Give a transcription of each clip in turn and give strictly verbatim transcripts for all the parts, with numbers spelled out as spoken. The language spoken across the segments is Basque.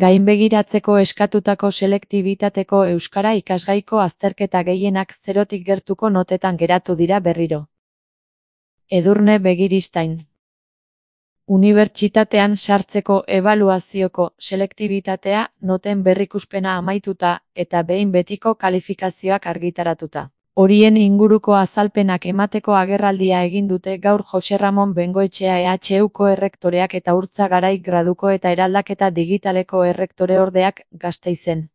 Gainbegiratzeko eskatutako selektibitateko euskara ikasgaiko azterketa gehienak zerotik gertuko notetan geratu dira berriro. Edurne Begiristain. Unibertsitatean sartzeko ebaluazioko selektibitatea noten berrikuspena amaituta eta behin betiko kalifikazioak argitaratuta. Horien inguruko azalpenak emateko agerraldia egin dute gaur Jose Ramon Bengoetxea E H Uko errektoreak eta Urtza Garai graduko eta eraldaketa digitaleko errektoreordeak Gasteizen.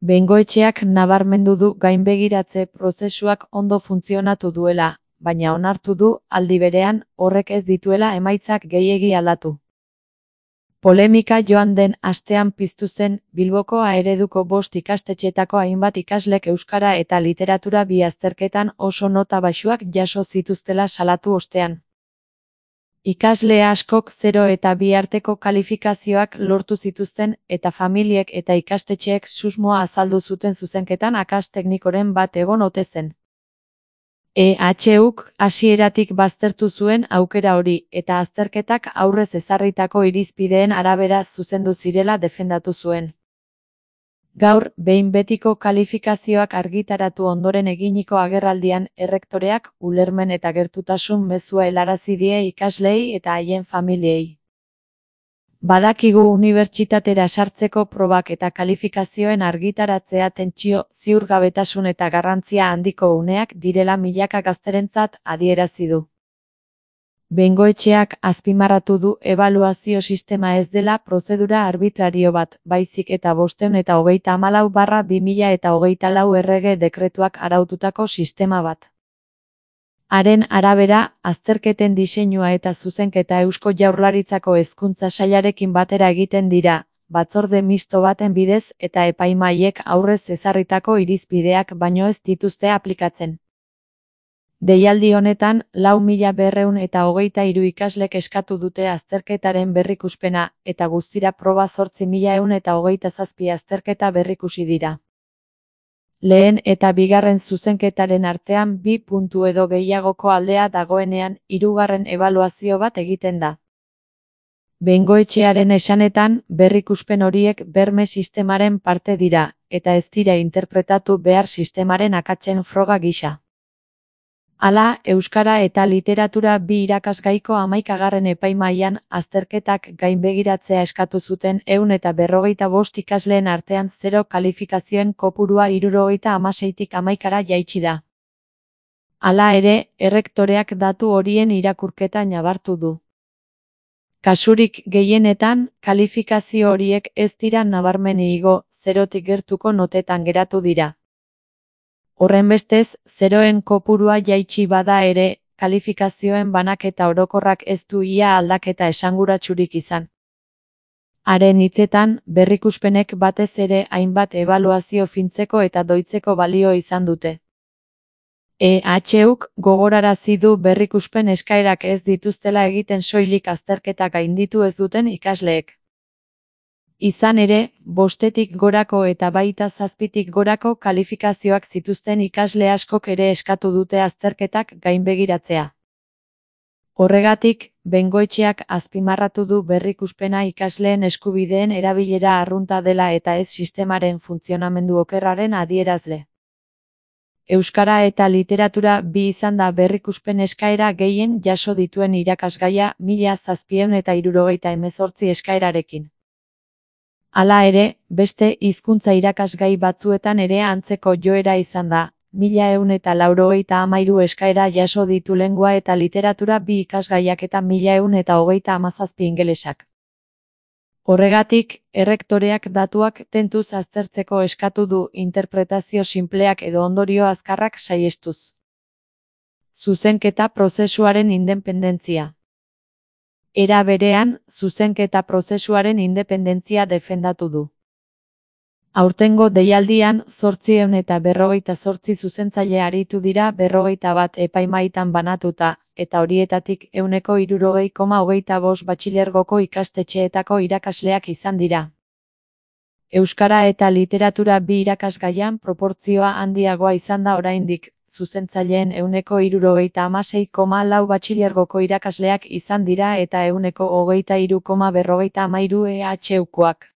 Bengoetxeak nabarmendu du gainbegiratze prozesuak ondo funtzionatu duela, baina onartu du, aldi berean, horrek ez dituela emaitzak gehiegi aldatu. Polemika joan den astean piztu zen, Bilboko A ereduko bost ikastetxetako hainbat ikaslek euskara eta literatura bi azterketan oso nota baxuak jaso zituztela salatu ostean. Ikasle askok zero eta bi arteko kalifikazioak lortu zituzten eta familiek eta ikastetxeek susmoa azaldu zuten zuzenketan akas teknikoren bat egon ote zen. E H Uk hasieratik baztertu zuen aukera hori eta azterketak aurrez ezarritako irizpideen arabera zuzendu zirela defendatu zuen. Gaur, behin betiko kalifikazioak argitaratu ondoren eginiko agerraldian errektoreak ulermen eta gertutasun mezua helarazi die ikasleei eta haien familiei. Badakigu unibertsitatera sartzeko probak eta kalifikazioen argitaratzea tentsio, ziurgabetasun eta garrantzia handiko uneak direla milaka gazterentzat adierazi du. Bengoetxeak azpimarratu du ebaluazio sistema ez dela prozedura arbitrario bat, baizik eta bostehun eta hogeita hamalau barra bi mila eta hogeita lau errege dekretuak araututako sistema bat. Haren arabera, azterketen diseinua eta zuzenketa Eusko Jaurlaritzako Hezkuntza Sailarekin batera egiten dira, batzorde misto baten bidez eta epaimahaiek aurrez ezarritako irizpideak baino ez dituzte aplikatzen. Deialdi honetan, lau mila berrehun eta hogeita hiru ikaslek eskatu dute azterketaren berrikuspena, eta guztira proba zortzi mila ehun eta hogeita zazpi azterketa berrikusi dira. Lehen eta bigarren zuzenketaren artean bi puntu edo gehiagoko aldea dagoenean, hirugarren ebaluazio bat egiten da. Bengoetxearen esanetan, berrikuspen horiek berme sistemaren parte dira, eta ez dira interpretatu behar sistemaren akatsen froga gisa. Hala, euskara eta literatura bi irakasgaiko hamaikagarren epaimahaian azterketak gainbegiratzea eskatu zuten ehun eta berrogeita bost ikasleen artean zero kalifikazioen kopurua hirurogeita hamaseitik hamaikara jaitsi da. Hala ere, errektoreak datu horien irakurketa nabartu du. Kasurik gehienetan, kalifikazio horiek ez dira nabarmen igo, zerotik gertuko notetan geratu dira. Horrenbestez, zeroen kopurua jaitsi bada ere, kalifikazioen banaketa orokorrak ez du ia aldaketa esanguratsurik izan. Haren hitzetan, berrikuspenek batez ere hainbat ebaluazio fintzeko eta doitzeko balio izan dute. E H Uk gogorarazi du berrikuspen eskaerak ez dituztela egiten soilik azterketa gainditu ez duten ikasleek. Izan ere, bostetik gorako eta baita zazpitik gorako kalifikazioak zituzten ikasle askok ere eskatu dute azterketak gainbegiratzea. Horregatik, Bengoetxeak azpimarratu du berrikuspena ikasleen eskubideen erabilera arrunta dela eta ez sistemaren funtzionamendu okerraren adierazle. Euskara eta literatura bi izan da berrikuspen eskaera gehien jaso dituen irakasgaia mila zazpiehun eta hirurogeita hemezortzi eskaerarekin. Hala ere, beste hizkuntza irakasgai batzuetan ere antzeko joera izan da, mila ehun eta laurogeita hamairu eskaera jaso ditu lengua eta literatura bi ikasgaiak eta mila ehun eta hogeita hamazazpi ingelesak. Horregatik, errektoreak datuak tentuz aztertzeko eskatu du interpretazio sinpleak edo ondorio azkarrak saihestuz. Zuzenketa prozesuaren independentzia. Era berean, zuzenketa prozesuaren independentzia defendatu du. Aurtengo deialdian, zortziehun eta berrogeita zortzi zuzentzaile aritu dira berrogeita bat epaimahaitan banatuta, eta horietatik ehuneko hirurogei koma hogeita bost batxilergoko ikastetxeetako irakasleak izan dira. Euskara eta literatura bi irakasgaian proportzioa handiagoa izan da oraindik, zuzentzaileen ehuneko hirurogeita hamasei koma lau batxilergoko irakasleak izan dira eta ehuneko hogeita hiru koma berrogeita hamairu E H Ukoak.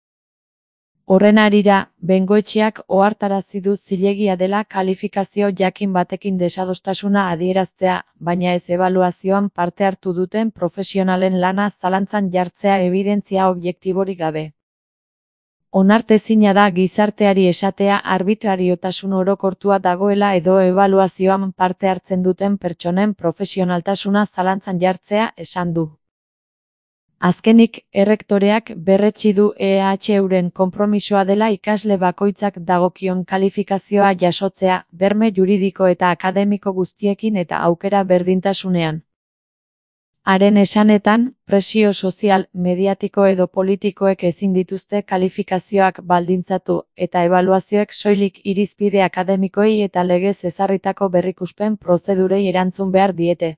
Horren harira, bengoetxeak ohartarazi du zilegia dela kalifikazio jakin batekin desadostasuna adieraztea, baina ez ebaluazioan parte hartu duten profesionalen lana zalantzan jartzea ebidentzia objektiborik gabe. Onartezina da gizarteari esatea arbitrariotasun orokortua dagoela edo ebaluazioan parte hartzen duten pertsonen profesionaltasuna zalantzan jartzea, esan du. Azkenik, errektoreak berretsi du E H euren konpromisoa dela ikasle bakoitzak dagokion kalifikazioa jasotzea, berme juridiko eta akademiko guztiekin eta aukera berdintasunean. Haren esanetan, presio sozial, mediatiko edo politikoek ezin dituzte kalifikazioak baldintzatu, eta ebaluazioek soilik irizpide akademikoei eta legez ezarritako berrikuspen prozedurei erantzun behar diete.